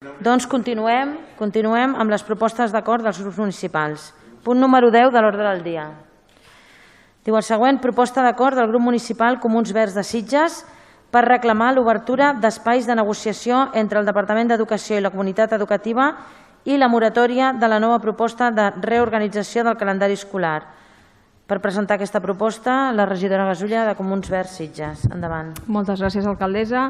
Doncs continuem amb les propostes d'acord dels grups municipals. Punt número 10 de l'ordre del dia. Diu el següent: proposta d'acord del grup municipal Comuns Verds de Sitges per reclamar l'obertura d'espais de negociació entre el Departament d'Educació i la comunitat educativa i la moratòria de la nova proposta de reorganització del calendari escolar. Per presentar aquesta proposta, la regidora Gasulla, de Comuns Verds Sitges. Endavant. Moltes gràcies, alcaldessa.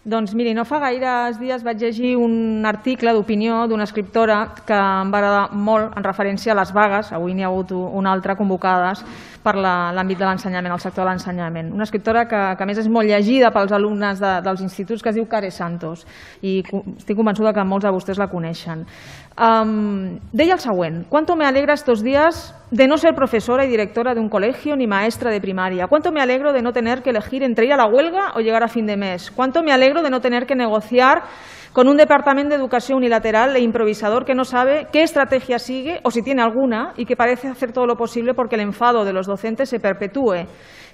Doncs miri, no fa gaires dies vaig llegir un article d'opinió d'una escriptora que em va agradar molt en referència a les vagues, avui n'hi ha hagut una altra, convocades per l'àmbit de l'ensenyament, el sector de l'ensenyament. Una escriptora que a més és molt llegida pels alumnes dels instituts, que es diu Care Santos, i estic convençuda que molts de vostès la coneixen. Deia el següent: «Cuánto me alegra estos días de no ser profesora y directora de un colegio ni maestra de primaria. Cuánto me alegro de no tener que elegir entre ir a la huelga o llegar a fin de mes. Cuánto me alegro de no tener que negociar con un departamento de educación unilateral e improvisador que no sabe qué estrategia sigue o si tiene alguna y que parece hacer todo lo posible porque el enfado de los docentes se perpetúe.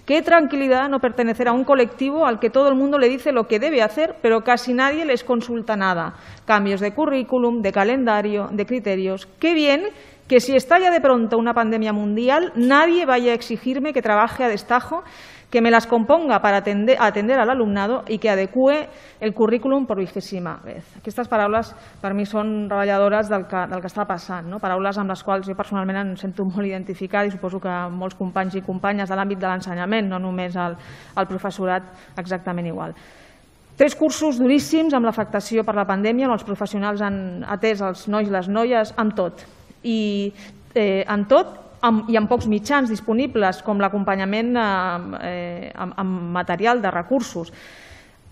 Qué tranquilidad no pertenecer a un colectivo al que todo el mundo le dice lo que debe hacer, pero casi nadie les consulta nada. Cambios de currículum, de calendario, de criterios. Qué bien que si estalla de pronto una pandemia mundial, nadie vaya a exigirme que trabaje a destajo, que me las componga para atender al alumnado i que adecue el currículum per 20ª vez». Aquestes paraules per mi són reveladores del que està passant, paraules amb les quals jo personalment em sento molt identificada i suposo que molts companys i companyes de l'àmbit de l'ensenyament, no només el professorat, exactament igual. 3 cursos duríssims amb l'afectació per la pandèmia on els professionals han atès els nois i les noies amb tot. I amb pocs mitjans disponibles, com l'acompanyament amb material de recursos.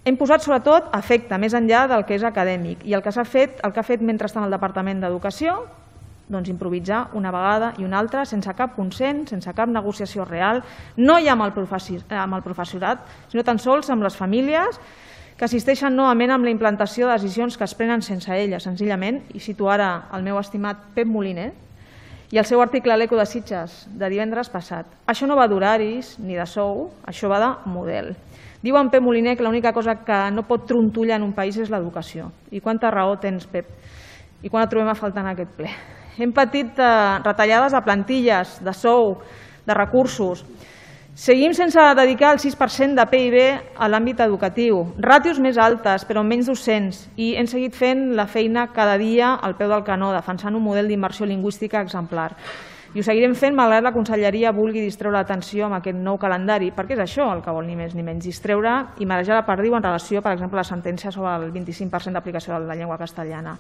Hem posat sobretot efecte, més enllà del que és acadèmic, i el que ha fet mentrestant el Departament d'Educació, doncs improvisar una vegada i una altra, sense cap consens, sense cap negociació real, no ja amb el professorat, sinó tan sols amb les famílies, que assisteixen novament amb la implantació de decisions que es prenen sense elles, senzillament, i cito ara el meu estimat Pep Moliner, i el seu article a l'Eco de Sitges de divendres passat: «Això no va d'horaris ni de sou, això va de model». Diu en Pep Moliner que l'única cosa que no pot trontollar en un país és l'educació. I quanta raó tens, Pep, i quan et trobem a faltar en aquest ple. Hem patit retallades de plantilles, de sou, de recursos. Seguim sense dedicar el 6% de PIB a l'àmbit educatiu, ràtios més altes però menys docents, i hem seguit fent la feina cada dia al peu del canó, defensant un model d'immersió lingüística exemplar. I ho seguirem fent malgrat la conselleria vulgui distreure l'atenció amb aquest nou calendari, perquè és això el que vol ni més ni menys, distreure i marejar la perdiu en relació, per exemple, a la sentència sobre el 25% d'aplicació de la llengua castellana.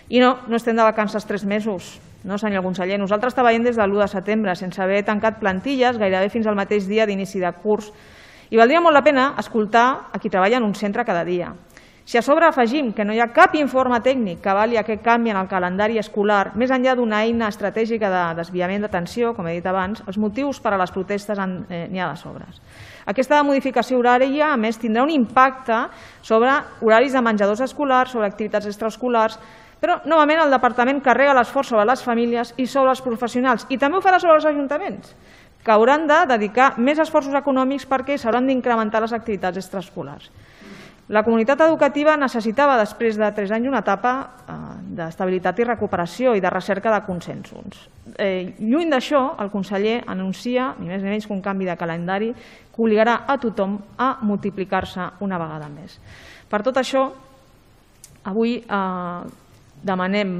I no estem de vacances 3 mesos, no, senyor conseller. Nosaltres treballem des de l'1 de setembre, sense haver tancat plantilles gairebé fins al mateix dia d'inici de curs. I valdria molt la pena escoltar a qui treballa en un centre cada dia. Si a sobre afegim que no hi ha cap informe tècnic que avali aquest canvi en el calendari escolar, més enllà d'una eina estratègica de desviament d'atenció, com he dit abans, els motius per a les protestes n'hi ha de sobres. Aquesta modificació horària, a més, tindrà un impacte sobre horaris de menjadors escolars, sobre activitats extraescolars, però, novament, el departament carrega l'esforç sobre les famílies i sobre els professionals, i també ho farà sobre els ajuntaments, que hauran de dedicar més esforços econòmics perquè s'hauran d'incrementar les activitats extraescolars. La comunitat educativa necessitava, després de 3 anys, una etapa d'estabilitat i recuperació i de recerca de consensos. Lluny d'això, el conseller anuncia, ni més ni menys que un canvi de calendari que obligarà a tothom a multiplicar-se una vegada més. Per tot això, avui demanem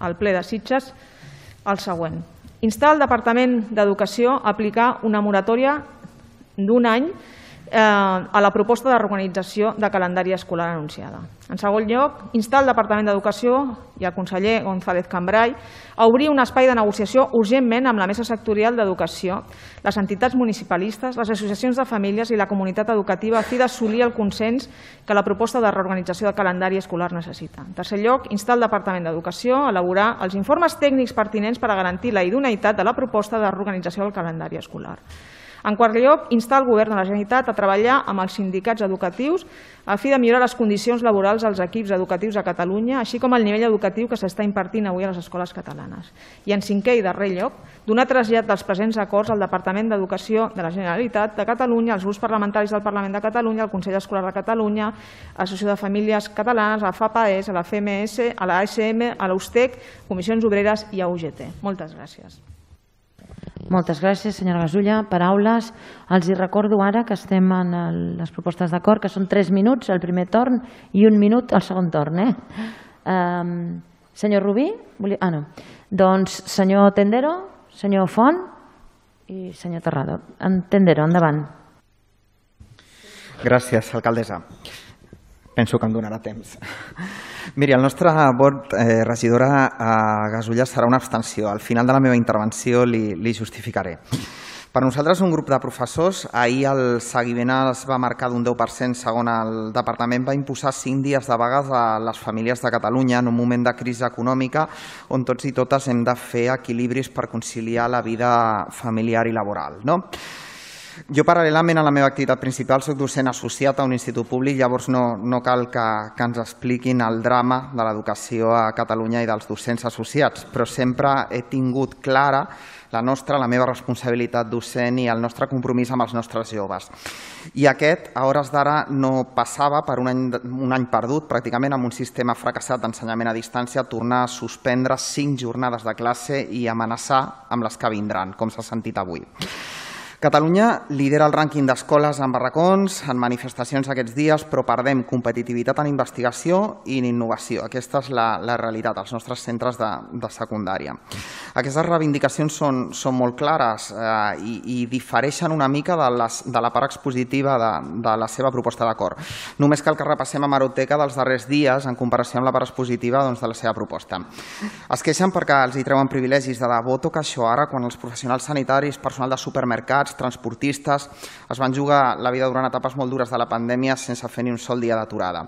al ple de Sitges el següent: instar el Departament d'Educació a aplicar una moratòria d'1 any a la proposta de reorganització de calendari escolar anunciada. En segon lloc, instar el Departament d'Educació i el conseller González Cambray a obrir un espai de negociació urgentment amb la Mesa Sectorial d'Educació, les entitats municipalistes, les associacions de famílies i la comunitat educativa a fi d'assolir el consens que la proposta de reorganització de calendari escolar necessita. En tercer lloc, instar el Departament d'Educació a elaborar els informes tècnics pertinents per a garantir la idoneïtat de la proposta de reorganització del calendari escolar. En quart lloc, instar el Govern de la Generalitat a treballar amb els sindicats educatius a fi de millorar les condicions laborals dels equips educatius a Catalunya, així com el nivell educatiu que s'està impartint avui a les escoles catalanes. I en cinquè i darrer lloc, donar trasllat dels presents acords al Departament d'Educació de la Generalitat de Catalunya, als grups parlamentaris del Parlament de Catalunya, al Consell Escolar de Catalunya, a l'Associació de Famílies Catalanes, a la FAPAES, a la FMS, a la ASM, a l'USTEC, Comissions Obreres i a UGT. Moltes gràcies. Moltes gràcies, senyora Gasulla. Paraules. Els hi recordo ara que estem en les propostes d'acord, que són 3 minuts el primer torn i 1 minut el segon torn. Senyor Rubí? No. Doncs senyor Tendero, senyor Font i senyor Terrado. Tendero, endavant. Gràcies, alcaldessa. Penso que em donarà temps. Miri, el nostre vot, regidora Gasulla, serà una abstenció. Al final de la meva intervenció li justificaré. Per nosaltres, un grup de professors, ahir el seguiment es va marcar d'un 10%, segons el departament, va imposar 5 dies de vagues a les famílies de Catalunya en un moment de crisi econòmica on tots i totes hem de fer equilibris per conciliar la vida familiar i laboral, no? Jo, paral·lelament a la meva activitat principal, soc docent associat a un institut públic, llavors no cal que ens expliquin el drama de l'educació a Catalunya i dels docents associats, però sempre he tingut clara la meva responsabilitat docent i el nostre compromís amb els nostres joves. I aquest, a hores d'ara, no passava per un any perdut, pràcticament amb un sistema fracassat d'ensenyament a distància, tornar a suspendre 5 jornades de classe i amenaçar amb les que vindran, com s'ha sentit avui. Catalunya lidera el rànquing d'escoles en barracons, en manifestacions aquests dies, però perdem competitivitat en investigació i en innovació. Aquesta és la realitat als nostres centres de secundària. Aquestes reivindicacions són molt clares i difereixen una mica de la part expositiva de la seva proposta d'acord. Només cal que repassem hemeroteca dels darrers dies en comparació amb la part expositiva de la seva proposta. Es queixen perquè els hi treuen privilegis. De debò toca això ara, quan els professionals sanitaris, personal de supermercats, transportistes, es van jugar la vida durant etapes molt dures de la pandèmia sense fer ni un sol dia d'aturada.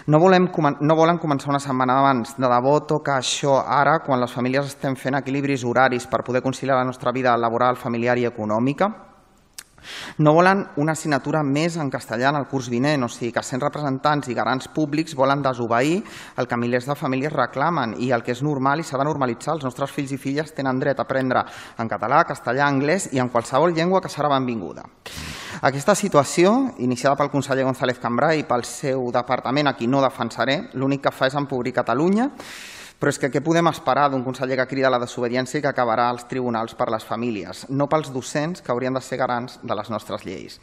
No volen començar una setmana abans. De debò toca això ara, quan les famílies estem fent equilibris horaris per poder conciliar la nostra vida laboral, familiar i econòmica. No volen una assignatura més en castellà en el curs vinent, o sigui que sent representants i garants públics volen desobeir el que milers de famílies reclamen i el que és normal i s'ha de normalitzar. Els nostres fills i filles tenen dret a aprendre en català, castellà, anglès i en qualsevol llengua que serà benvinguda. Aquesta situació, iniciada pel conseller González Cambray i pel seu departament, a qui no defensaré, l'únic que fa és empobrir Catalunya. Però és que què podem esperar d'un conseller que crida a la desobediència i que acabarà als tribunals per les famílies, no pels docents que haurien de ser garants de les nostres lleis.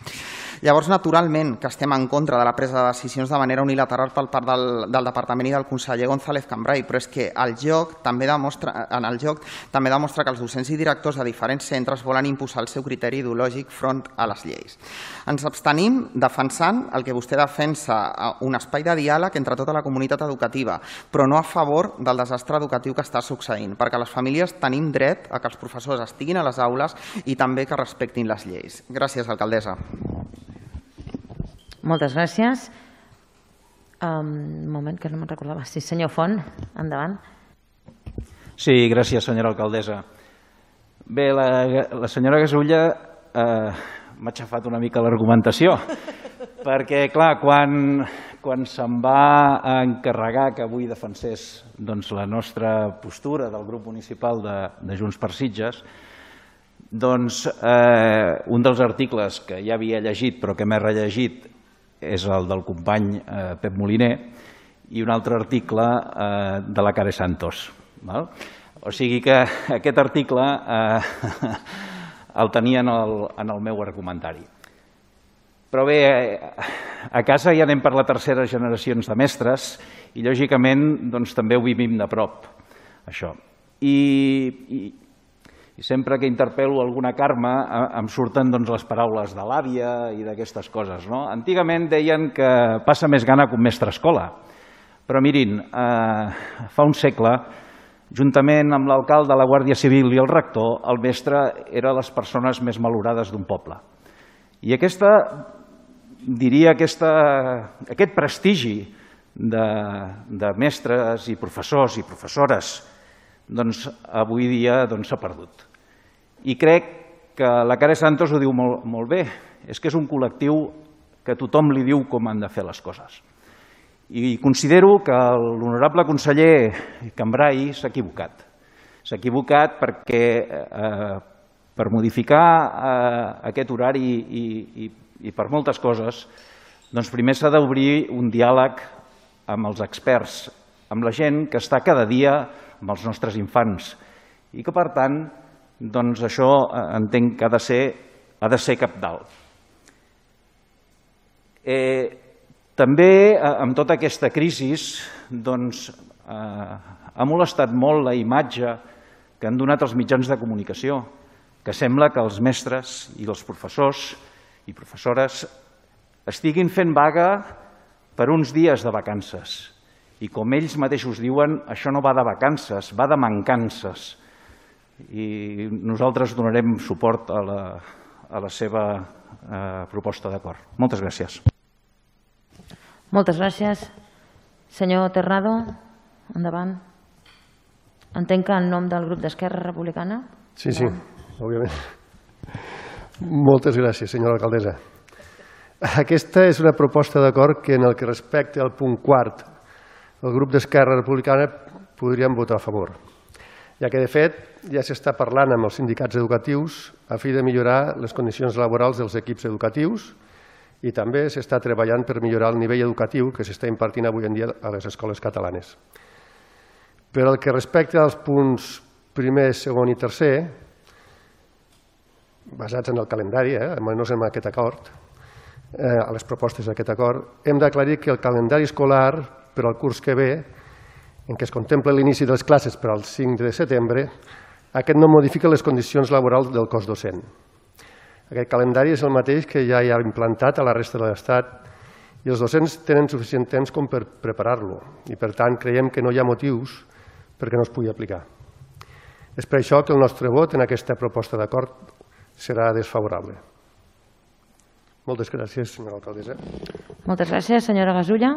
Llavors, naturalment, que estem en contra de la presa de decisions de manera unilateral per part del departament i del conseller González Cambray, però és que el joc també demostra que els docents i directors de diferents centres volen imposar el seu criteri ideològic front a les lleis. Ens abstenim defensant el que vostè defensa, un espai de diàleg entre tota la comunitat educativa, però no a favor del desastre educatiu que està succeint, perquè les famílies tenim dret a que els professors estiguin a les aules i també que respectin les lleis. Gràcies, alcaldessa. Moltes gràcies. Un moment, que no me'n recordava. Sí, senyor Font, endavant. Sí, gràcies, senyora alcaldessa. Bé, la senyora Gasulla m'ha xafat una mica l'argumentació, perquè, clar, quan se'm va encarregar que avui defensés la nostra postura del grup municipal de Junts per Sitges, doncs un dels articles que ja havia llegit però que m'he rellegit és el del company Pep Moliner i un altre article de la Care Santos. O sigui que aquest article el tenia en el meu argumentari. Però bé, a casa ja anem per la tercera generació de mestres i, lògicament, també ho vivim de prop, això. I sempre que interpel·lo alguna Carme em surten les paraules de l'àvia i d'aquestes coses. Antigament deien que passa més gana que un mestre escola, però mirin, fa un segle, juntament amb l'alcalde, la Guàrdia Civil i el rector, el mestre era les persones més valorades d'un poble. I aquest prestigi de mestres i professors i professores avui dia s'ha perdut. I crec que la Care Santos ho diu molt bé, és que és un col·lectiu que tothom li diu com han de fer les coses. I considero que l'honorable conseller Cambray s'ha equivocat. S'ha equivocat perquè per modificar aquest horari i per moltes coses, doncs primer s'ha d'obrir un diàleg amb els experts, amb la gent que està cada dia amb els nostres infants i que, per tant, doncs això entenc que ha de ser cabdal. També, amb tota aquesta crisi, ha molestat molt la imatge que han donat els mitjans de comunicació, que sembla que els mestres i els professors i professores estiguin fent vaga per uns dies de vacances. I com ells mateixos diuen, això no va de vacances, va de mancances. I nosaltres donarem suport a la seva proposta d'acord. Moltes gràcies. Moltes gràcies. Senyor Terrado, endavant. Entenc que en nom del grup d'Esquerra Republicana. Sí, òbviament. Moltes gràcies, senyora alcaldessa. Aquesta és una proposta d'acord que en el que respecta al punt quart el grup d'Esquerra Republicana podríem votar a favor, ja que, de fet, ja s'està parlant amb els sindicats educatius a fi de millorar les condicions laborals dels equips educatius i també s'està treballant per millorar el nivell educatiu que s'està impartint avui en dia a les escoles catalanes. Per al que respecta als punts primer, segon i tercer, basats en el calendari, no és en aquest acord, a les propostes d'aquest acord, hem d'aclarir que el calendari escolar per al curs que ve, en què es contempla l'inici de les classes per al 5 de setembre, aquest no modifica les condicions laborals del cos docent. Aquest calendari és el mateix que ja hi ha implantat a la resta de l'Estat i els docents tenen suficient temps com per preparar-lo i, per tant, creiem que no hi ha motius perquè no es pugui aplicar. És per això que el nostre vot en aquesta proposta d'acord serà desfavorable. Moltes gràcies, senyora alcaldessa. Moltes gràcies, senyora Gasulla.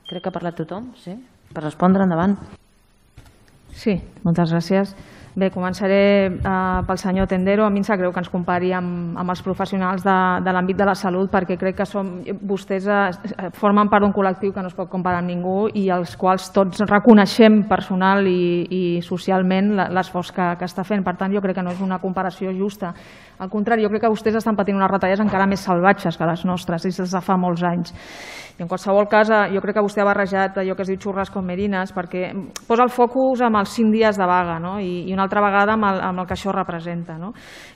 Crec que ha parlat tothom, sí? Per respondre, endavant. Sí, moltes gràcies. Bé, començaré pel senyor Tendero. A mi em sap greu que ens compari amb els professionals de l'àmbit de la salut perquè crec que vostès formen part d'un col·lectiu que no es pot comparar amb ningú i els quals tots reconeixem personal i socialment l'esforç que està fent. Per tant, jo crec que no és una comparació justa. Al contrari, jo crec que vostès estan patint unes retallades encara més salvatges que les nostres des de fa molts anys. I en qualsevol cas, jo crec que vostè ha barrejat allò que es diu xurres com merines perquè posa el focus amb els 5 dies de vaga i una altra vegada amb el que això representa.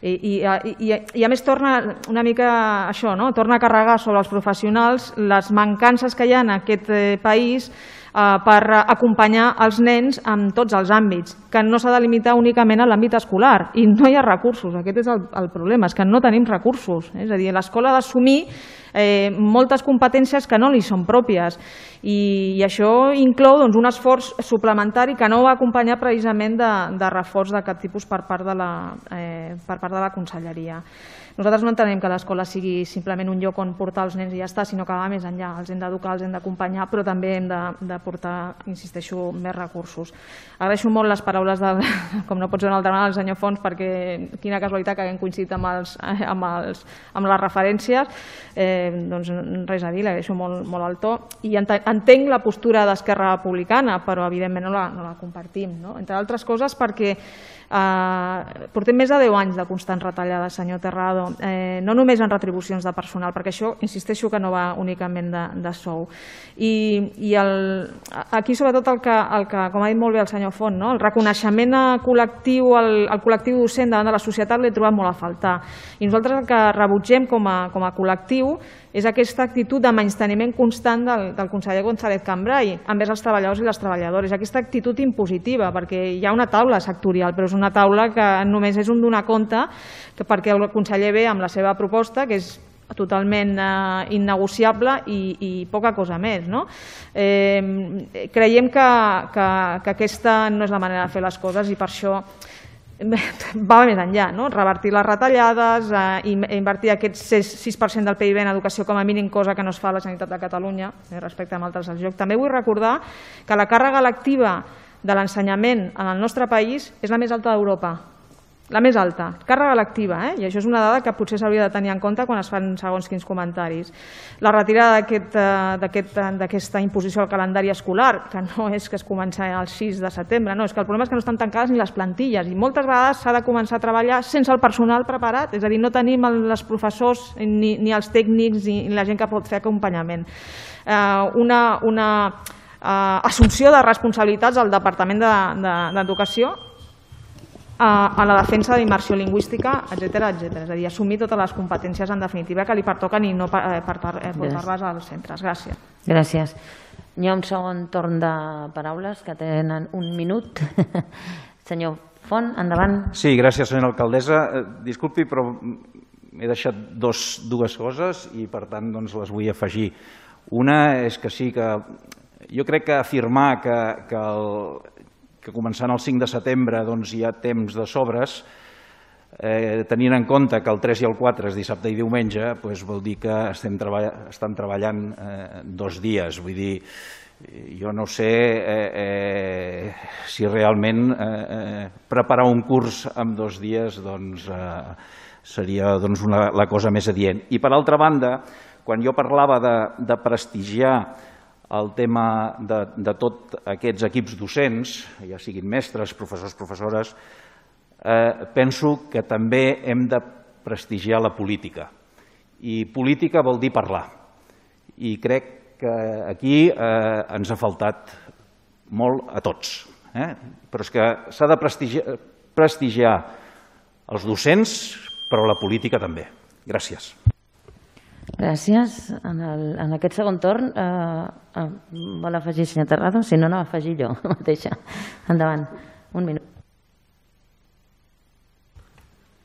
I a més torna una mica això, torna a carregar sobre els professionals les mancances que hi ha en aquest país per acompanyar els nens en tots els àmbits, que no s'ha de limitar únicament a l'àmbit escolar i no hi ha recursos, aquest és el problema, és que no tenim recursos, és a dir, l'escola ha d'assumir moltes competències que no li són pròpies i això inclou un esforç suplementari que no va acompanyar precisament de reforç de cap tipus per part de la conselleria. Nosaltres no entenem que l'escola sigui simplement un lloc on portar els nens i ja està, sinó que va més enllà, els hem d'educar, els hem d'acompanyar, però també hem de portar, insisteixo, més recursos. Agraeixo molt les paraules, com no pot ser una altra manera, del senyor Fons, perquè quina casualitat que haguem coincidit amb les referències, doncs res a dir, l'agraeixo molt el to, i entenc la postura d'Esquerra Republicana, però evidentment no la compartim, entre altres coses perquè portem més de 10 anys de constants retallades, senyor Terrado, no només en retribucions de personal, perquè això, insisteixo, que no va únicament de sou. I aquí, sobretot, el que, com ha dit molt bé el senyor Font, el reconeixement col·lectiu, el col·lectiu docent davant de la societat l'he trobat molt a faltar. I nosaltres el que rebutgem com a col·lectiu és aquesta actitud de menysteniment constant del conseller González Cambray envers els treballadors i les treballadores, aquesta actitud impositiva, perquè hi ha una taula sectorial, però és una taula que només és un donar compte perquè el conseller ve amb la seva proposta, que és totalment innegociable i poca cosa més. Creiem que aquesta no és la manera de fer les coses i per això va més enllà, revertir les retallades, invertir aquest 6% del PIB en educació com a mínim, cosa que no es fa a la Generalitat de Catalunya respecte a altres del lloc. També vull recordar que la càrrega lectiva de l'ensenyament en el nostre país és la més alta d'Europa. la més alta, càrrega lectiva, i això és una dada que potser s'hauria de tenir en compte quan es fan segons quins comentaris. La retirada d'aquesta imposició al calendari escolar, que no és que es comença el 6 de setembre, no, és que el problema és que no estan tancades ni les plantilles i moltes vegades s'ha de començar a treballar sense el personal preparat, és a dir, no tenim els professors ni els tècnics ni la gent que pot fer acompanyament. Una assumpció de responsabilitats al Departament d'Educació a la defensa de la immersió lingüística, etcètera. És a dir, assumir totes les competències en definitiva que li pertoquen i no portar-les als centres. Gràcies. Gràcies. Hi ha un segon torn de paraules que tenen un minut. Senyor Font, endavant. Sí, gràcies, senyora alcaldessa. Disculpi, però he deixat dues coses i per tant les vull afegir. Una és que sí, que jo crec que afirmar que començant el 5 de setembre hi ha temps de sobres, tenint en compte que el 3 i el 4 és dissabte i diumenge, vol dir que estan treballant 2 dies. Vull dir, jo no sé si realment preparar un curs en 2 dies seria la cosa més adient. I per altra banda, quan jo parlava de prestigiar el tema de tots aquests equips docents, ja siguin mestres, professors, professores, penso que també hem de prestigiar la política. I política vol dir parlar. I crec que aquí ens ha faltat molt a tots. Però és que s'ha de prestigiar els docents, però la política també. Gràcies. Gràcies. En aquest segon torn vol afegir el senyor Terrado? Si no, no afegir jo mateixa. Endavant. Un minut.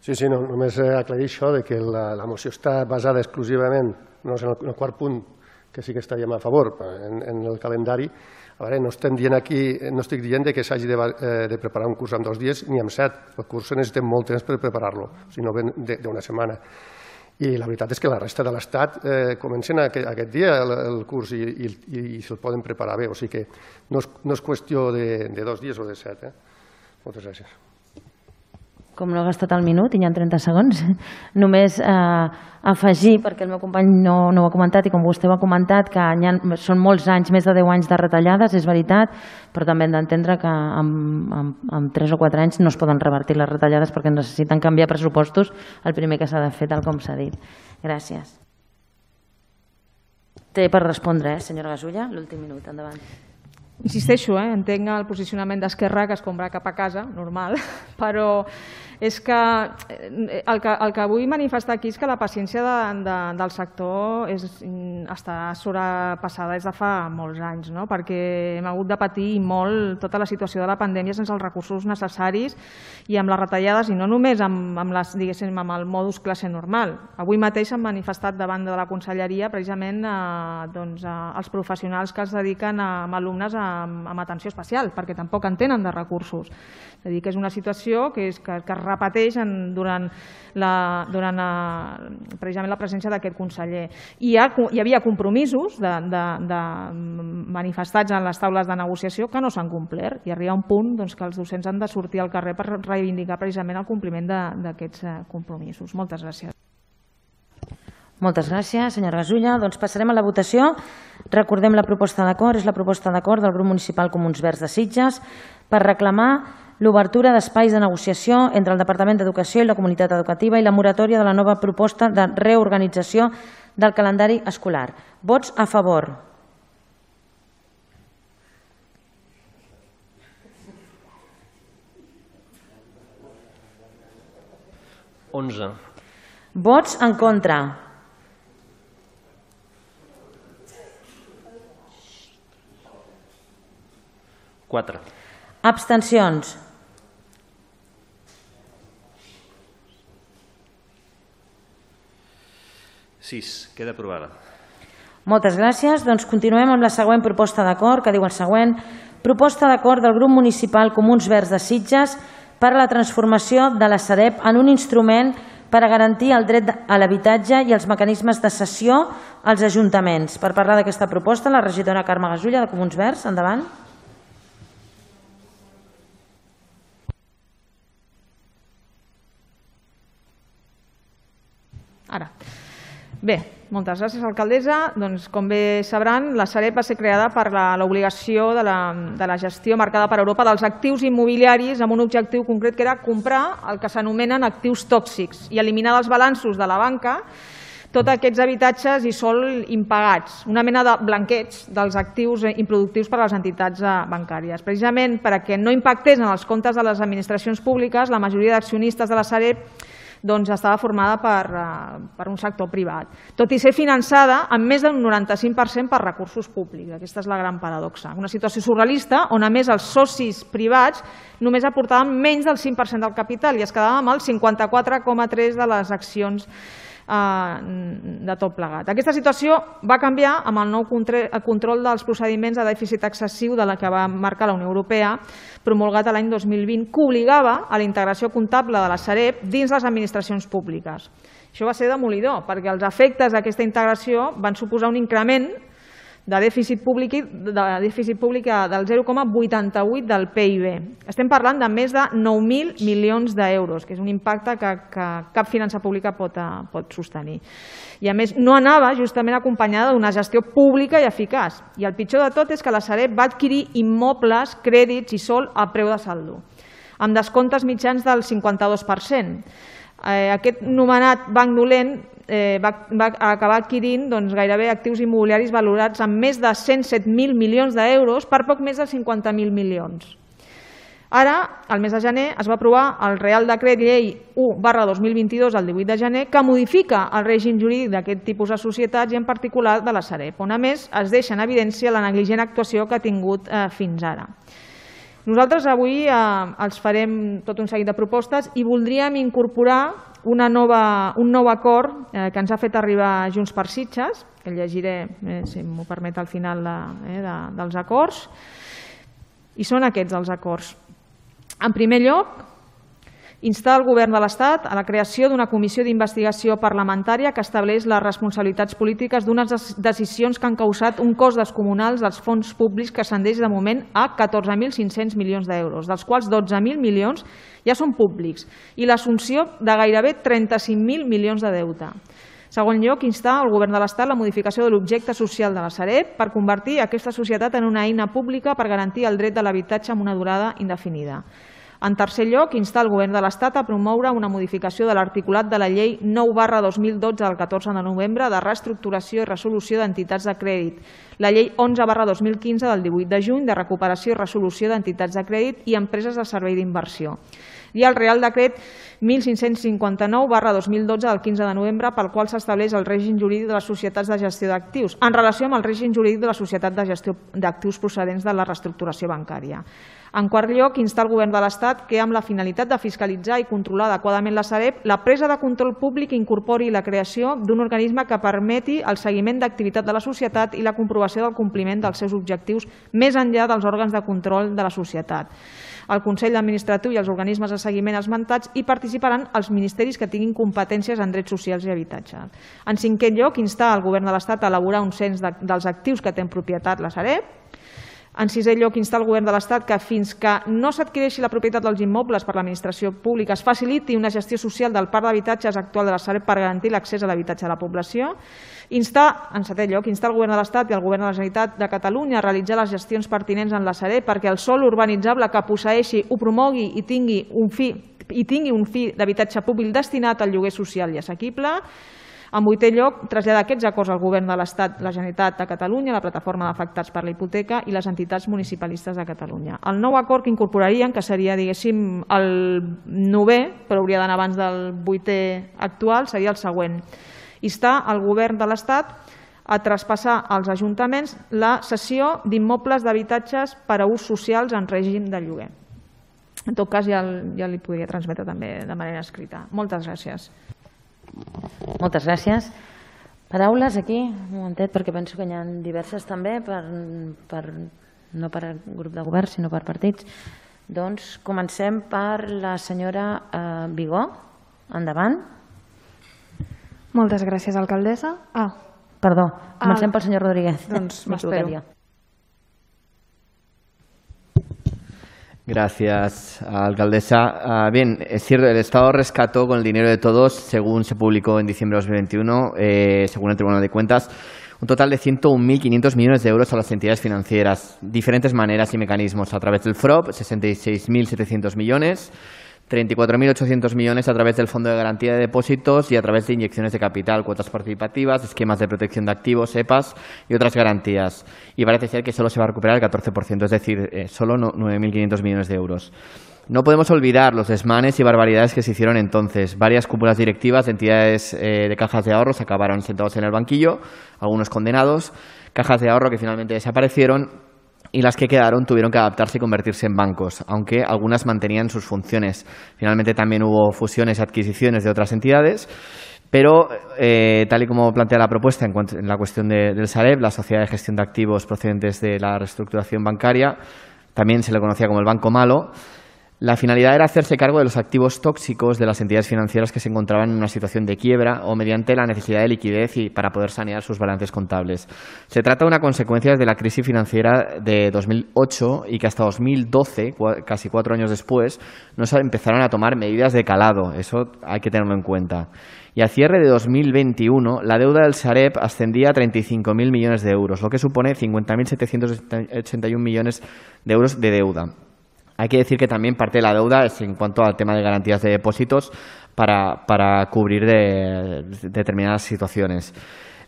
Sí, només aclarir això de que la moció està basada exclusivament en el quart punt, que sí que estaríem a favor, en el calendari. A veure, no estem dient aquí, no estic dient que s'hagi de preparar un curs en 2 dies ni en 7. El curs necessitem molt temps per preparar-lo, si no ven d'una setmana. I la veritat és que la resta de l'Estat comencen aquest dia el curs i se'l poden preparar bé. O sigui que no és qüestió de 2 dies o de 7. Moltes gràcies. Com no he gastat el minut i hi ha 30 segons, només afegir, perquè el meu company no ho ha comentat i com vostè ho ha comentat, que són molts anys, més de 10 anys de retallades, és veritat, però també hem d'entendre que en 3 o 4 anys no es poden revertir les retallades perquè necessiten canviar pressupostos, el primer que s'ha de fer, tal com s'ha dit. Gràcies. Té per respondre, senyora Gasulla, l'últim minut, endavant. Insisteixo, entenc el posicionament d'Esquerra, que es compra cap a casa, normal, però és que el que vull manifestar aquí és que la paciència del sector està sobrepassada des de fa molts anys, perquè hem hagut de patir molt tota la situació de la pandèmia sense els recursos necessaris i amb les retallades, i no només amb el modus classe normal. Avui mateix s'han manifestat davant de la Conselleria precisament els professionals que es dediquen a alumnes amb atenció especial, perquè tampoc en tenen de recursos. És a dir, que és una situació que es repeteix durant precisament la presència d'aquest conseller. Hi havia compromisos manifestats en les taules de negociació que no s'han complert i arriba un punt que els docents han de sortir al carrer per reivindicar precisament el compliment d'aquests compromisos. Moltes gràcies. Moltes gràcies, senyora Gasulla. Doncs passarem a la votació. Recordem la proposta d'acord. És la proposta d'acord del grup municipal Comuns Verds de Sitges per reclamar l'obertura d'espais de negociació entre el Departament d'Educació i la comunitat educativa i la moratòria de la nova proposta de reorganització del calendari escolar. Vots a favor. Vots en contra. Abstencions. Queda aprovada. Moltes gràcies. Doncs continuem amb la següent proposta d'acord, que diu el següent. Proposta d'acord del grup municipal Comuns Verds de Sitges per a la transformació de la Sareb en un instrument per a garantir el dret a l'habitatge i els mecanismes de cessió als ajuntaments. Per parlar d'aquesta proposta, la regidora Carme Gasulla, de Comuns Verds. Endavant. Ara. Bé, moltes gràcies, alcaldessa. Doncs, com bé sabran, la Sareb va ser creada per l'obligació de la gestió marcada per Europa dels actius immobiliaris amb un objectiu concret que era comprar el que s'anomenen actius tòxics i eliminar dels balanços de la banca tots aquests habitatges i sòl impagats, una mena de blanqueig dels actius improductius per a les entitats bancàries. Precisament perquè no impactés en els comptes de les administracions públiques, la majoria d'accionistes de la Sareb estava formada per un sector privat, tot i ser finançada amb més d'un 95% per recursos públics. Aquesta és la gran paradoxa. Una situació surrealista on, a més, els socis privats només aportaven menys del 5% del capital i es quedaven amb el 54,3% de les accions de tot plegat. Aquesta situació va canviar amb el nou control dels procediments de dèficit excessiu de la que va marcar la Unió Europea, promulgat l'any 2020, que obligava a la integració comptable de la Sareb dins les administracions públiques. Això va ser demolidor, perquè els efectes d'aquesta integració van suposar un increment de dèficit públic del 0,88 del PIB. Estem parlant de més de 9.000 milions d'euros, que és un impacte que cap finança pública pot sostenir. I a més no anava justament acompanyada d'una gestió pública i eficaç. I el pitjor de tot és que la Sareb va adquirir immobles, crèdits i sòl a preu de saldo, amb descomptes mitjans del 52%. Aquest anomenat banc dolent va acabar adquirint gairebé actius immobiliaris valorats amb més de 107.000 milions d'euros per poc més de 50.000 milions. Ara, al mes de gener, es va aprovar el Real Decret Llei 1/2022, el 18 de gener, que modifica el règim jurídic d'aquest tipus de societats i en particular de la Sareb, on a més es deixa en evidència la negligent actuació que ha tingut fins ara. Nosaltres avui els farem tot un seguit de propostes i voldríem incorporar un nou acord que ens ha fet arribar Junts per Sitges, que el llegiré, si m'ho permet, al final dels acords, i són aquests els acords. En primer lloc, instar el Govern de l'Estat a la creació d'una comissió d'investigació parlamentària que estableix les responsabilitats polítiques d'unes decisions que han causat un cost descomunal dels fons públics que ascendeix de moment a 14.500 milions d'euros, dels quals 12.000 milions ja són públics, i l'assumpció de gairebé 35.000 milions de deute. En segon lloc, instar el Govern de l'Estat la modificació de l'objecte social de la Sareb per convertir aquesta societat en una eina pública per garantir el dret de l'habitatge amb una durada indefinida. En tercer lloc, instar el Govern de l'Estat a promoure una modificació de l'articulat de la Llei 9/2012 del 14 de novembre de reestructuració i resolució d'entitats de crèdit, la Llei 11/2015 del 18 de juny de recuperació i resolució d'entitats de crèdit i empreses de servei d'inversió, i el Real Decret 1559/2012 del 15 de novembre pel qual s'estableix el règim jurídic de les societats de gestió d'actius en relació amb el règim jurídic de la societat de gestió d'actius procedents de la reestructuració bancària. En quart lloc, instar el Govern de l'Estat que, amb la finalitat de fiscalitzar i controlar adequadament la Sareb, la presa de control públic incorpori la creació d'un organisme que permeti el seguiment d'activitat de la societat i la comprovació del compliment dels seus objectius més enllà dels òrgans de control de la societat. El Consell Administratiu i els organismes de seguiment esmentats hi participaran els ministeris que tinguin competències en drets socials i habitatge. En cinquè lloc, instar el Govern de l'Estat a elaborar un cens dels actius que té en propietat la Sareb. En sisè lloc, instar el Govern de l'Estat que fins que no s'adquireixi la propietat dels immobles per l'administració pública es faciliti una gestió social del parc d'habitatges actual de la Sareb per garantir l'accés a l'habitatge de la població. En setè lloc, instar el Govern de l'Estat i el Govern de la Generalitat de Catalunya a realitzar les gestions pertinents en la Sareb perquè el sòl urbanitzable que posseeixi ho promogui i tingui un fi d'habitatge públic destinat al lloguer social i assequible. En vuitè lloc, traslladar aquests acords al Govern de l'Estat, la Generalitat de Catalunya, la Plataforma d'Afectats per la Hipoteca i les entitats municipalistes de Catalunya. El nou acord que incorporarien, que seria, diguéssim, el 9è, però hauria d'anar abans del 8è actual, seria el següent. Instar el Govern de l'Estat a traspassar als ajuntaments la cessió d'immobles d'habitatges per a ús socials en règim de lloguer. En tot cas, ja li podria transmetre també de manera escrita. Moltes gràcies. Moltes gràcies. Paraules aquí, un momentet, perquè penso que n'hi ha diverses també, no per grup de govern, sinó per partits. Doncs comencem per la senyora Vigó. Endavant. Moltes gràcies, alcaldessa. Perdó, comencem pel senyor Rodríguez. Doncs m'espero. Gracias, alcaldesa. Bien, es cierto, el Estado rescató con el dinero de todos, según se publicó en diciembre de 2021, según el Tribunal de Cuentas, un total de 101.500 millones de euros a las entidades financieras. Diferentes maneras y mecanismos: a través del FROB, 66.700 millones, 34.800 millones a través del Fondo de Garantía de Depósitos y a través de inyecciones de capital, cuotas participativas, esquemas de protección de activos, EPAs y otras garantías. Y parece ser que solo se va a recuperar el 14%, es decir, solo 9.500 millones de euros. No podemos olvidar los desmanes y barbaridades que se hicieron entonces. Varias cúpulas directivas de entidades de cajas de ahorros acabaron sentados en el banquillo, algunos condenados, cajas de ahorro que finalmente desaparecieron, y las que quedaron tuvieron que adaptarse y convertirse en bancos, aunque algunas mantenían sus funciones. Finalmente también hubo fusiones y adquisiciones de otras entidades, pero tal y como plantea la propuesta en la cuestión del Sareb, la Sociedad de Gestión de Activos procedentes de la reestructuración bancaria, también se le conocía como el Banco Malo. La finalidad era hacerse cargo de los activos tóxicos de las entidades financieras que se encontraban en una situación de quiebra o mediante la necesidad de liquidez y para poder sanear sus balances contables. Se trata de una consecuencia de la crisis financiera de 2008 y que hasta 2012, casi 4 años después, no se empezaron a tomar medidas de calado. Eso hay que tenerlo en cuenta. Y a cierre de 2021, la deuda del Sareb ascendía a 35.000 millones de euros, lo que supone 50.781 millones de euros de deuda. Hay que decir que también parte de la deuda es en cuanto al tema de garantías de depósitos para cubrir determinadas situaciones.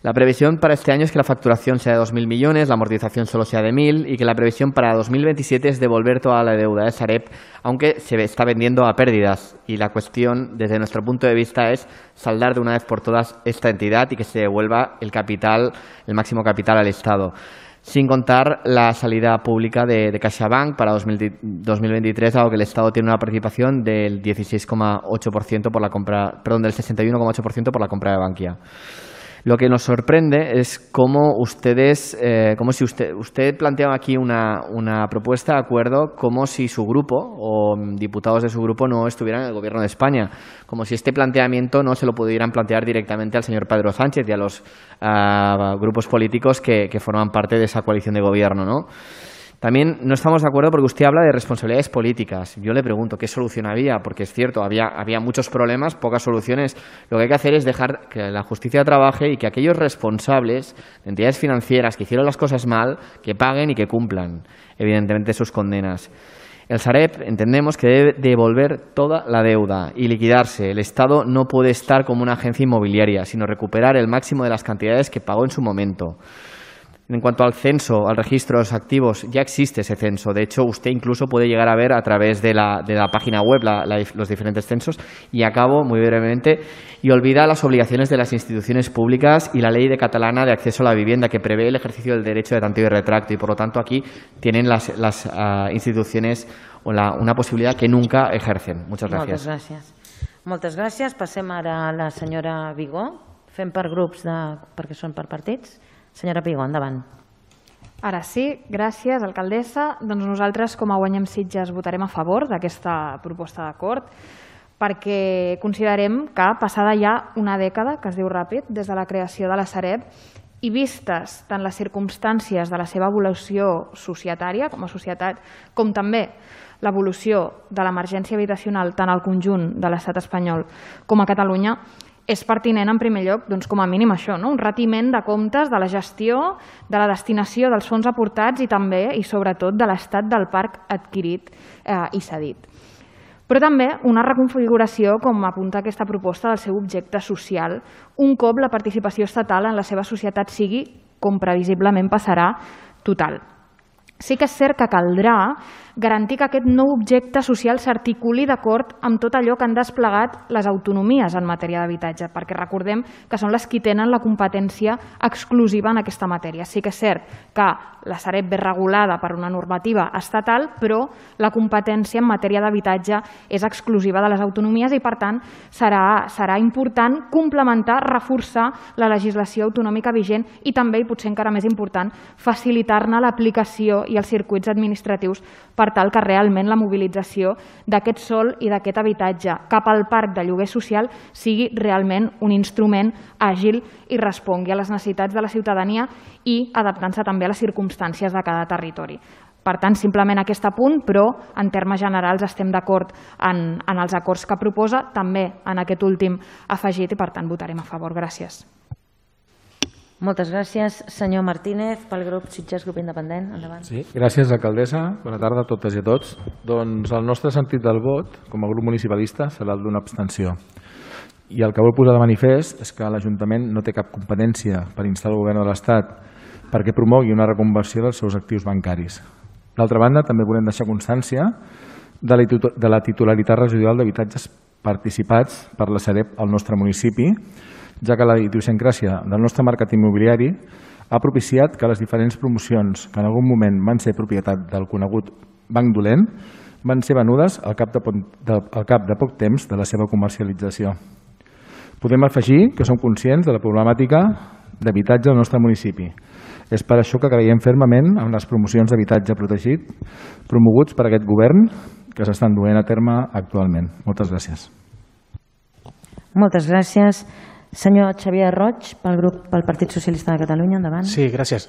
La previsión para este año es que la facturación sea de 2.000 millones, la amortización solo sea de 1.000 y que la previsión para 2027 es devolver toda la deuda de Sareb, aunque se está vendiendo a pérdidas. Y la cuestión, desde nuestro punto de vista, es saldar de una vez por todas esta entidad y que se devuelva el capital, el máximo capital al Estado. Sin contar la salida pública de CaixaBank para 2023, dado que el Estado tiene una participación del 16,8% por la compra, perdón, del 61,8% por la compra de Bankia. Lo que nos sorprende es cómo ustedes, como si usted planteaba aquí una propuesta de acuerdo, como si su grupo o diputados de su grupo no estuvieran en el Gobierno de España, como si este planteamiento no se lo pudieran plantear directamente al señor Pedro Sánchez y a los grupos políticos que forman parte de esa coalición de gobierno, ¿no? También no estamos de acuerdo porque usted habla de responsabilidades políticas. Yo le pregunto qué solución había, porque es cierto, había muchos problemas, pocas soluciones. Lo que hay que hacer es dejar que la justicia trabaje y que aquellos responsables de entidades financieras que hicieron las cosas mal, que paguen y que cumplan, evidentemente, sus condenas. El Sareb entendemos que debe devolver toda la deuda y liquidarse. El Estado no puede estar como una agencia inmobiliaria, sino recuperar el máximo de las cantidades que pagó en su momento. En cuanto al censo, al registro de los activos, ya existe ese censo. De hecho, usted incluso puede llegar a ver a través de la página web los diferentes censos. Y acabo muy brevemente. Y olvida las obligaciones de las instituciones públicas y la ley catalana de acceso a la vivienda que prevé el ejercicio del derecho de tanteo y retracto. Y por lo tanto aquí tienen las instituciones una posibilidad que nunca ejercen. Muchas gracias. Moltes gràcies. Moltes gràcies. Passem ara a la senyora Vigó. Fem per grups perquè són per partits. Senyora Pigó, endavant. Ara sí, gràcies, alcaldessa. Doncs nosaltres, com a Guanyem Sitges, votarem a favor d'aquesta proposta d'acord perquè considerem que, passada ja una dècada, que es diu ràpid, des de la creació de la Sareb, i vistes tant les circumstàncies de la seva evolució societària com a societat, com també l'evolució de l'emergència habitacional tant al conjunt de l'estat espanyol com a Catalunya, és pertinent, en primer lloc, com a mínim això, un retiment de comptes de la gestió, de la destinació dels fons aportats i també, i sobretot, de l'estat del parc adquirit i cedit. Però també una reconfiguració, com apunta aquesta proposta, del seu objecte social, un cop la participació estatal en la seva societat sigui, com previsiblement passarà, total. Sí que és cert que caldrà garantir que aquest nou objecte social s'articuli d'acord amb tot allò que han desplegat les autonomies en matèria d'habitatge, perquè recordem que són les qui tenen la competència exclusiva en aquesta matèria. Sí que és cert que la Sareb ve regulada per una normativa estatal, però la competència en matèria d'habitatge és exclusiva de les autonomies i, per tant, serà important complementar, reforçar la legislació autonòmica vigent i també, i potser encara més important, facilitar-ne l'aplicació i els circuits administratius per tal que realment la mobilització d'aquest sòl i d'aquest habitatge cap al parc de lloguer social sigui realment un instrument àgil i respongui a les necessitats de la ciutadania i adaptant-se també a les circumstàncies de cada territori. Per tant, simplement aquest apunt, però en termes generals estem d'acord en els acords que proposa, també en aquest últim afegit, i per tant votarem a favor. Gràcies. Moltes gràcies. Senyor Martínez, pel grup Sitges, grup independent. Endavant. Sí, gràcies, alcaldessa. Bona tarda a totes i a tots. Doncs el nostre sentit del vot, com a grup municipalista, serà el d'una abstenció. I el que vull posar de manifest és que l'Ajuntament no té cap competència per instar el govern de l'Estat perquè promogui una reconversió dels seus actius bancaris. D'altra banda, també volem deixar constància de la titularitat residual d'habitatges participats per la Sareb al nostre municipi, ja que la idiosincràsia del nostre mercat immobiliari ha propiciat que les diferents promocions que en algun moment van ser propietat del conegut Banc Dolent van ser venudes al cap de poc temps de la seva comercialització. Podem afegir que som conscients de la problemàtica d'habitatge al nostre municipi. És per això que creiem fermament en les promocions d'habitatge protegit promoguts per aquest govern que s'estan duent a terme actualment. Moltes gràcies. Moltes gràcies. Senyor Xavier Roig, pel Partit Socialista de Catalunya, endavant. Sí, gràcies.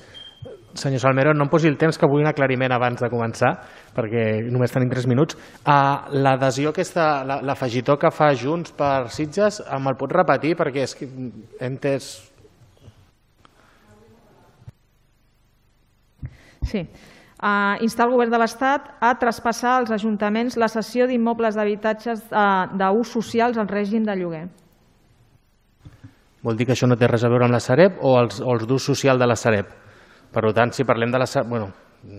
Senyor Salmero, no em posi el temps, que vull un aclariment abans de començar, perquè només tenim 3 minuts. L'adhesió aquesta, l'afegitó que fa Junts per Sitges, me'l pot repetir? Perquè és que he entès... Sí. Instar el govern de l'Estat a traspassar als ajuntaments la cessió d'immobles d'habitatges d'ús socials al règim de lloguer. Vol dir que això no té res a veure amb la Sareb o els d'ús social de la Sareb? Per tant, si parlem de la Sareb... Bueno,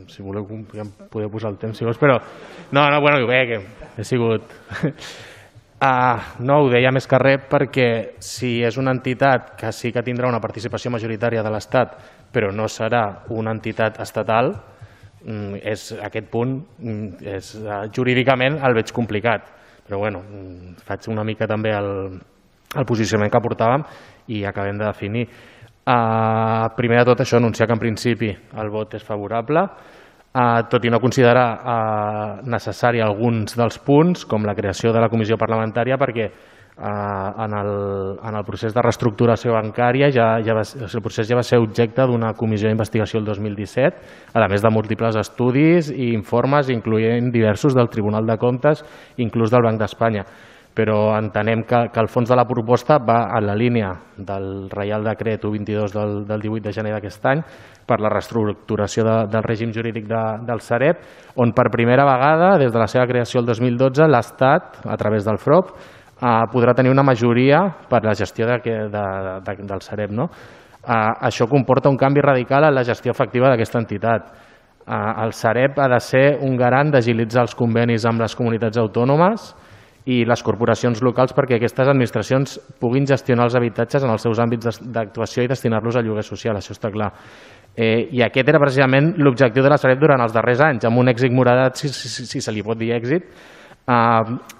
si voleu ja em podeu posar el temps, si vols, però... No, bueno, bé, que he sigut... No, ho deia més que res perquè si és una entitat que sí que tindrà una participació majoritària de l'Estat, però no serà una entitat estatal, aquest punt jurídicament el veig complicat. Però bueno, faig una mica també el posicionament que portàvem i acabem de definir. Primer de tot això, anunciar que en principi el vot és favorable, tot i no considerar necessari alguns dels punts, com la creació de la comissió parlamentària, perquè en el procés de reestructuració bancària el procés ja va ser objecte d'una comissió d'investigació el 2017, a més de múltiples estudis i informes, incloent diversos del Tribunal de Comptes, inclús del Banc d'Espanya. Però entenem que el fons de la proposta va en la línia del Reial Decret 122 del 18 de gener d'aquest any per la reestructuració del règim jurídic del Sareb, on per primera vegada, des de la seva creació el 2012, l'Estat, a través del FROP, podrà tenir una majoria per la gestió del Sareb. Això comporta un canvi radical en la gestió efectiva d'aquesta entitat. El Sareb ha de ser un garant d'agilitzar els convenis amb les comunitats autònomes i les corporacions locals perquè aquestes administracions puguin gestionar els habitatges en els seus àmbits d'actuació i destinar-los a lloguer social, això està clar. I aquest era precisament l'objectiu de la Sareb durant els darrers anys, amb un èxit moradat, si se li pot dir èxit,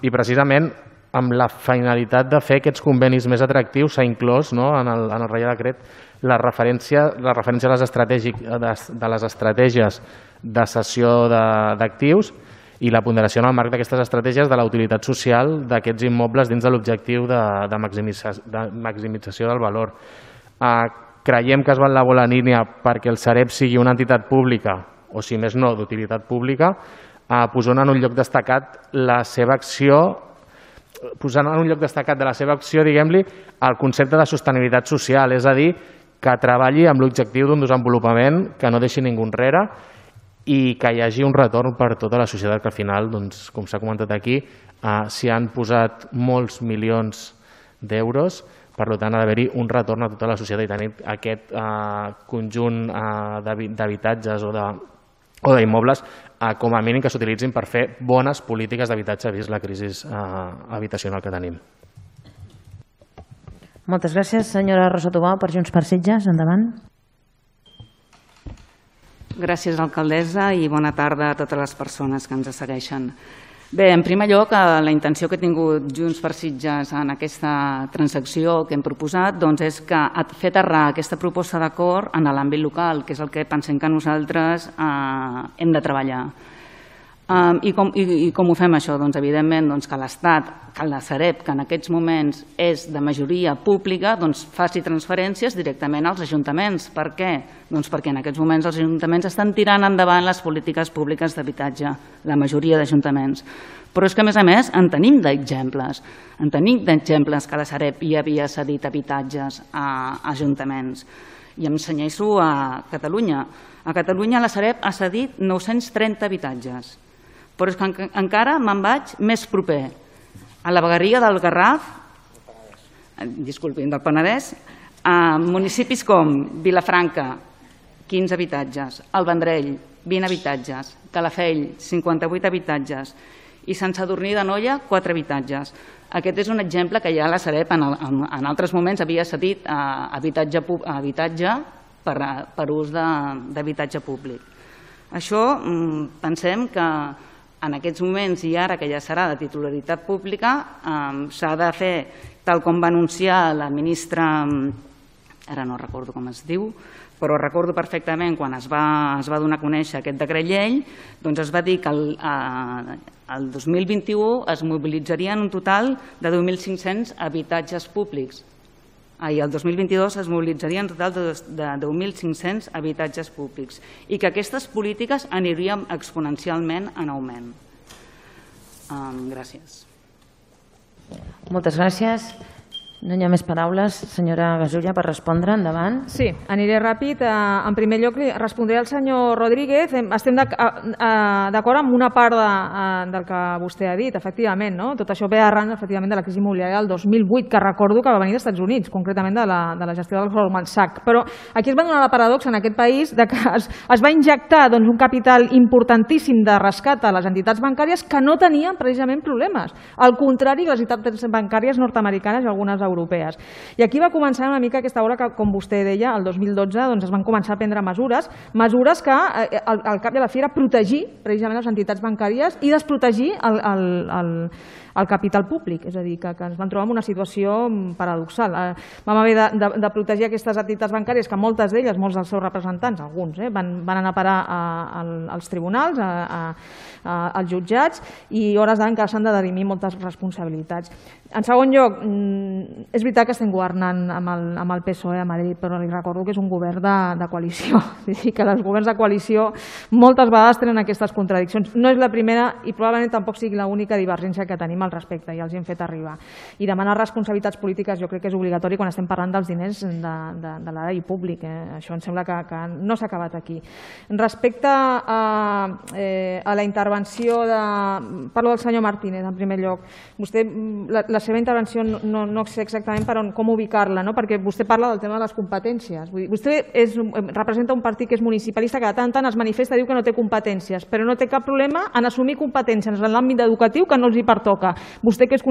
i precisament amb la finalitat de fer aquests convenis més atractius s'ha inclòs en el Reial Decret la referència a les estratègies de cessió d'actius i la ponderació en el marc d'aquestes estratègies de la utilitat social d'aquests immobles dins de l'objectiu de maximització del valor. Creiem que es va en la bona línia perquè el Sareb sigui una entitat pública, o si més no, d'utilitat pública, posant en un lloc destacat la seva acció, diguem-li, el concepte de sostenibilitat social, és a dir, que treballi amb l'objectiu d'un desenvolupament que no deixi ningú enrere i que hi hagi un retorn per tota la societat, que al final, com s'ha comentat aquí, s'hi han posat molts milions d'euros, per tant ha d'haver-hi un retorn a tota la societat i tenir aquest conjunt d'habitatges o d'immobles com a mínim que s'utilitzin per fer bones polítiques d'habitatge vist la crisi habitacional que tenim. Moltes gràcies. Senyora Rosa Tubau, per Junts per Sitges, endavant. Gràcies, alcaldessa, i bona tarda a totes les persones que ens segueixen. Bé, en primer lloc, la intenció que ha tingut Junts per Sitges en aquesta transacció que hem proposat és que fer aterrar aquesta proposta d'acord en l'àmbit local, que és el que pensem que nosaltres hem de treballar. I com ho fem això? Doncs evidentment que l'Estat, que la Sareb, que en aquests moments és de majoria pública, faci transferències directament als ajuntaments. Per què? Doncs perquè en aquests moments els ajuntaments estan tirant endavant les polítiques públiques d'habitatge, la majoria d'ajuntaments. Però és que, a més, en tenim d'exemples. En tenim d'exemples que la Sareb ja havia cedit habitatges a ajuntaments. I em senyeixo a Catalunya. A Catalunya la Sareb ha cedit 930 habitatges. Però és que encara me'n vaig més proper. A la vegueria del Garraf, disculpin, del Penedès, a municipis com Vilafranca, 15 habitatges, el Vendrell, 20 habitatges, Calafell, 58 habitatges, i Sant Sadurní d'Anoia, 4 habitatges. Aquest és un exemple que ja la Sareb en altres moments havia cedit habitatge per ús d'habitatge públic. Això pensem que en aquests moments i ara que ja serà de titularitat pública s'ha de fer tal com va anunciar la ministra, ara no recordo com es diu, però recordo perfectament quan es va donar a conèixer aquest decret llei, doncs es va dir que el 2021 es mobilitzarien un total de 2.500 habitatges públics. I el 2022 es mobilitzarien un total de 10.500 habitatges públics i que aquestes polítiques anirien exponencialment en augment. Gràcies. Moltes gràcies. No hi ha més paraules. Senyora Gasulla, per respondre, endavant. Sí, aniré ràpid. En primer lloc, respondré al senyor Rodríguez. Estem d'acord amb una part del que vostè ha dit, efectivament. Tot això ve arran, efectivament, de la crisi immobiliària del 2008, que recordo que va venir dels Estats Units, concretament de la gestió del Goldman Sachs. Però aquí es va donar la paradoxa en aquest país que es va injectar un capital importantíssim de rescat a les entitats bancàries que no tenien precisament problemes. Al contrari que les entitats bancàries nord-americanes i algunes europees. I aquí va començar una mica aquesta hora que, com vostè deia, el 2012 es van començar a prendre mesures que al cap i a la fi era protegir precisament les entitats bancàries i desprotegir el capital públic, és a dir, que ens vam trobar en una situació paradoxal. Vam haver de protegir aquestes entitats bancàries que moltes d'elles, molts dels seus representants, alguns, van anar a parar als tribunals, als jutjats, i hores d'any que s'han de dirimir moltes responsabilitats. En segon lloc, és veritat que estem governant amb el PSOE a Madrid, però li recordo que és un govern de coalició. És dir, que els governs de coalició moltes vegades tenen aquestes contradiccions. No és la primera i probablement tampoc sigui l'única divergència que tenim al respecte, ja els hi hem fet arribar. I demanar responsabilitats polítiques jo crec que és obligatori quan estem parlant dels diners de l'erari públic. Això em sembla que no s'ha acabat aquí. Respecte a la intervenció parlo del senyor Martínez, en primer lloc. Vostè, la seva intervenció no sé exactament com ubicar-la, perquè vostè parla del tema de les competències. Vostè representa un partit que és municipalista que de tant en tant es manifesta i diu que no té competències, però no té cap problema en assumir competències en l'àmbit educatiu que no els hi pertoca. Vostè que és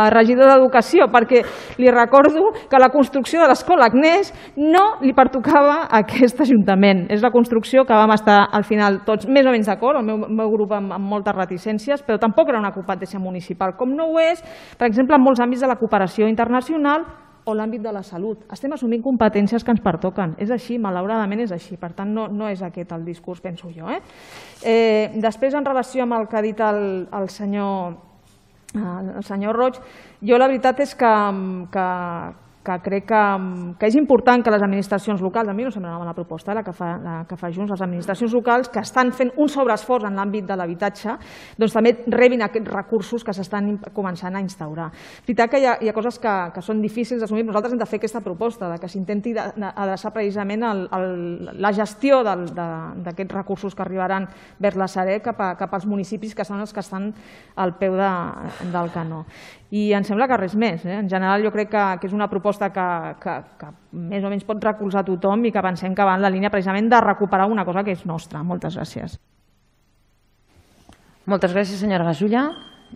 regidor d'Educació, perquè li recordo que la construcció de l'escola Agnès no li pertocava a aquest Ajuntament. És la construcció que vam estar al final tots més o menys d'acord, el meu grup amb moltes reticències, però tampoc era una competència municipal, com no ho és, per exemple, en molts àmbits de la cooperació internacional o l'àmbit de la salut. Estem assumint competències que ens pertoquen. És així, malauradament és així. Per tant, no és aquest el discurs, penso jo. Després, en relació amb el que ha dit el senyor Roig, jo la veritat és que crec que és important que les administracions locals, a mi no sembla una bona proposta la que fa Junts, les administracions locals que estan fent un sobreesforç en l'àmbit de l'habitatge, doncs també rebin aquests recursos que s'estan començant a instaurar. És veritat que hi ha coses que són difícils d'assumir, nosaltres hem de fer aquesta proposta, que s'intenti adreçar precisament la gestió d'aquests recursos que arribaran vers la Sareb cap als municipis que són els que estan al peu del canó. I em sembla que res més. En general jo crec que és una proposta que més o menys pot recolzar tothom i que pensem que va en la línia precisament de recuperar una cosa que és nostra. Moltes gràcies. Moltes gràcies, senyora Gasulla.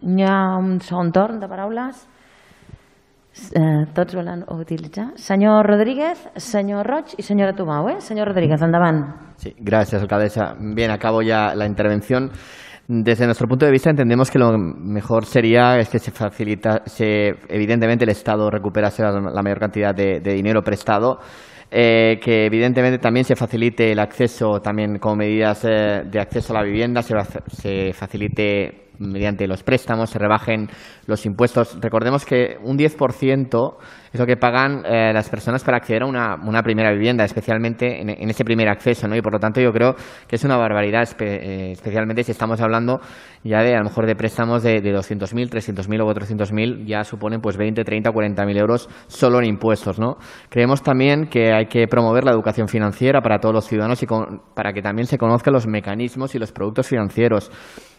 Hi ha un segon torn de paraules. Tots volen utilitzar. Senyor Rodríguez, senyor Roig i senyora Tomau. Senyor Rodríguez, endavant. Sí, gracias, alcaldesa. Bien, acabo ya la intervención. Desde nuestro punto de vista entendemos que lo mejor sería que evidentemente el Estado recuperase la mayor cantidad de dinero prestado que evidentemente también se facilite el acceso, también como medidas de acceso a la vivienda, se facilite mediante los préstamos, se rebajen los impuestos. Recordemos que un 10% es lo que pagan las personas para acceder a una primera vivienda, especialmente en ese primer acceso, ¿no? Y por lo tanto yo creo que es una barbaridad, especialmente si estamos hablando ya de a lo mejor de préstamos de 200.000, 300.000 o 400.000, ya suponen pues 20, 30, 40.000 euros solo en impuestos, ¿no? Creemos también que hay que promover la educación financiera para todos los ciudadanos y para que también se conozcan los mecanismos y los productos financieros.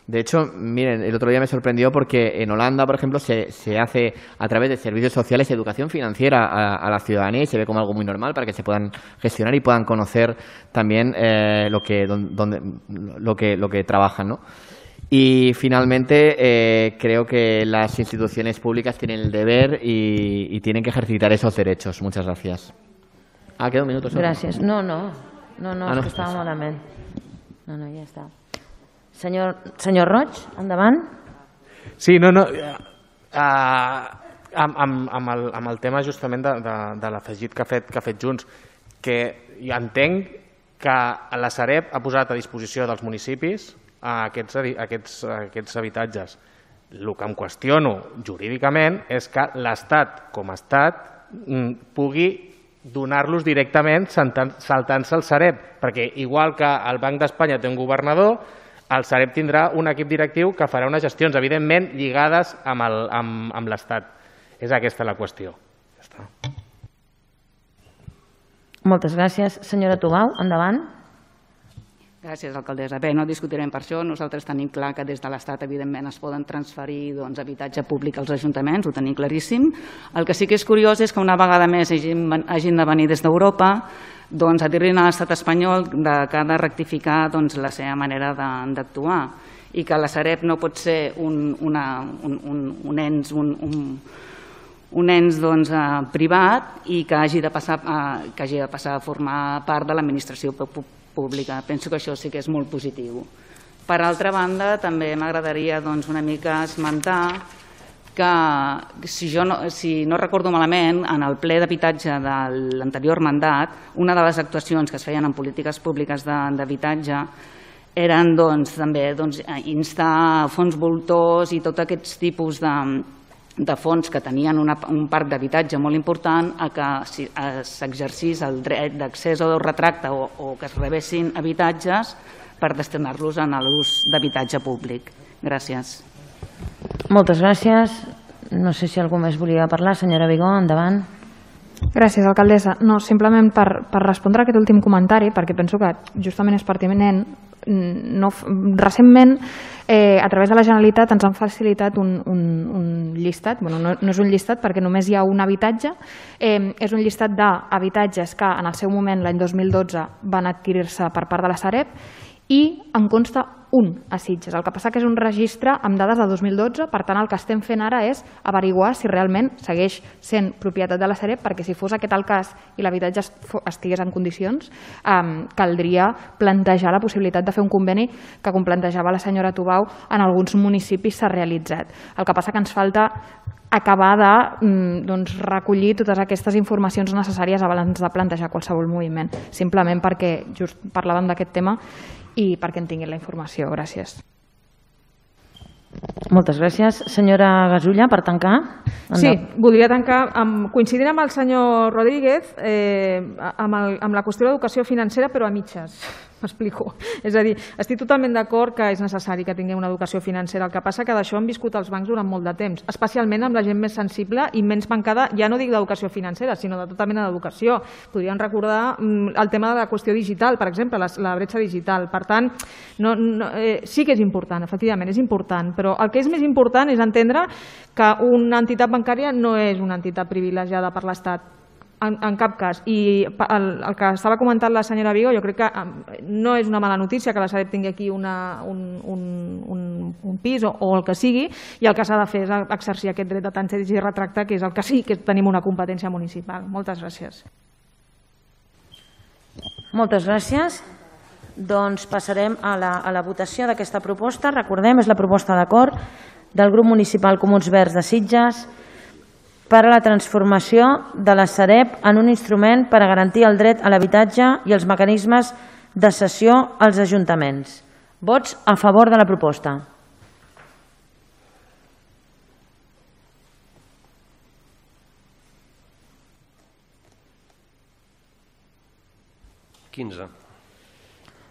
De hecho, miren, el otro día me sorprendió porque en Holanda, por ejemplo, se hace a través de servicios sociales educación financiera a la ciudadanía y se ve como algo muy normal para que se puedan gestionar y puedan conocer también lo que trabajan, ¿no? Y finalmente creo que las instituciones públicas tienen el deber y tienen que ejercitar esos derechos. Muchas gracias. Queda un minuto. Gràcies. No, és que estava malament. No, ja està. Senyor Roig, endavant. Sí, amb el tema justament de l'afegit que ha fet Junts, que entenc que la Sareb ha posat a disposició dels municipis aquests habitatges. El que em qüestiono jurídicament és que l'Estat, com a Estat, pugui donar-los directament saltant-se el Sareb, perquè igual que el Banc d'Espanya té un governador, el Sareb tindrà un equip directiu que farà unes gestions, evidentment, lligades amb l'Estat. És aquesta la qüestió. Ja està. Moltes gràcies. Senyora Tubau, endavant. Gràcies, alcaldessa. Bé, no discutirem per això. Nosaltres tenim clar que des de l'Estat, evidentment, es poden transferir habitatge públic als ajuntaments, ho tenim claríssim. El que sí que és curiós és que una vegada més hagin de venir des d'Europa a dir-li a l'estat espanyol que ha de rectificar la seva manera d'actuar i que la Sareb no pot ser un ens privat i que hagi de passar a formar part de l'administració pública. Penso que això sí que és molt positiu. Per altra banda, també m'agradaria una mica esmentar que, si no recordo malament, en el ple d'habitatge de l'anterior mandat, una de les actuacions que es feien en polítiques públiques d'habitatge eren també instar fons voltors i tots aquests tipus de fons que tenien un parc d'habitatge molt important a que s'exercís el dret d'accés o retracte o que es rebessin habitatges per destinar-los a l'ús d'habitatge públic. Gràcies. Moltes gràcies. No sé si algú més volia parlar. Senyora Vigó, endavant. Gràcies, alcaldessa. No, simplement per respondre a aquest últim comentari, perquè penso que justament és pertinent. Recentment, a través de la Generalitat, ens han facilitat un llistat. No és un llistat perquè només hi ha un habitatge. És un llistat d'habitatges que en el seu moment, l'any 2012, van adquirir-se per part de la Sareb i en consta un a Sitges. El que passa que és un registre amb dades de 2012, per tant el que estem fent ara és averiguar si realment segueix sent propietat de la Sareb, perquè si fos aquest el cas i l'habitatge estigués en condicions, caldria plantejar la possibilitat de fer un conveni que, com plantejava la senyora Tubau, en alguns municipis s'ha realitzat. El que passa que ens falta acabar de recollir totes aquestes informacions necessàries abans de plantejar qualsevol moviment, simplement perquè just parlàvem d'aquest tema i perquè en tinguin la informació. Gràcies. Moltes gràcies. Senyora Gasulla, per tancar. Sí, voldria tancar coincidint amb el senyor Rodríguez amb la qüestió de l'educació financera, però a mitges. M'explico. És a dir, estic totalment d'acord que és necessari que tinguem una educació financera. El que passa que d'això han viscut els bancs durant molt de temps, especialment amb la gent més sensible i menys mancada, ja no dic d'educació financera, sinó de tota mena d'educació. Podríem recordar el tema de la qüestió digital, per exemple, la bretxa digital. Per tant, sí que és important, efectivament, és important, però el que és més important és entendre que una entitat bancària no és una entitat privilegiada per l'Estat. En cap cas. I el que estava comentant la senyora Vigo, jo crec que no és una mala notícia que la Sareb tingui aquí un pis o el que sigui, i el que s'ha de fer és exercir aquest dret de tanteig i retracte, que és el que sí que tenim una competència municipal. Moltes gràcies. Moltes gràcies. Doncs passarem a la votació d'aquesta proposta. Recordem, és la proposta d'acord del grup municipal Comuns Verds de Sitges. per a la transformació de la Sareb en un instrument per a garantir el dret a l'habitatge i els mecanismes de cessió als ajuntaments. Vots a favor de la proposta.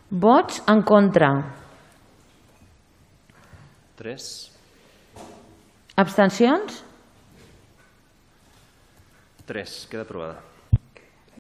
Vots en contra. 3. Abstencions? 3. Queda aprovada.